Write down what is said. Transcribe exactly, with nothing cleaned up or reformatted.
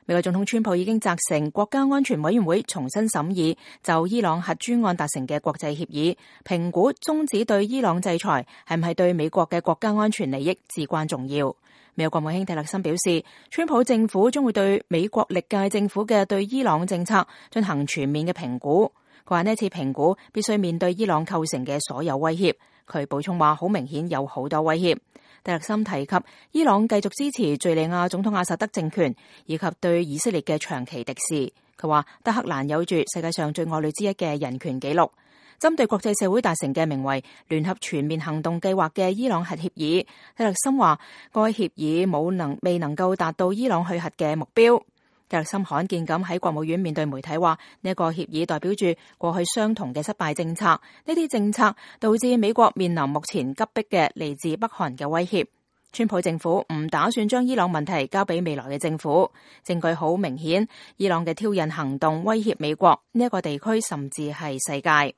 美國總統川普已經責成國家安全委員會重新審議就伊朗核專案達成嘅國際協議，評估終止對伊朗制裁係唔係對美國嘅國家安全利益至關重要。美國國務卿蒂勒森表示，川普政府將會對美國歷屆政府嘅對伊朗政策進行全面嘅評估。佢話呢次評估必須面對伊朗構成嘅所有威脅。佢補充話，好明顯有好多威脅。蒂勒森提及伊朗繼續支持敘利亞總統阿薩德政權，以及對以色列嘅長期敵視。佢話德黑蘭有住世界上最惡劣之一嘅人權紀錄。針對國際社會達成嘅名為聯合全面行動計劃嘅伊朗核協議，蒂勒森話該協議冇能未能夠達到伊朗去核嘅目標。蒂勒森罕見咁喺國務院面對媒體話，呢一個協議代表住過去相同嘅失敗政策，呢啲政策導致美國面臨目前急迫嘅嚟自北韓嘅威脅。川普政府唔打算將伊朗問題交俾未來嘅政府，證據好明顯，伊朗嘅挑釁行動威脅美國呢一個地區，甚至係世界。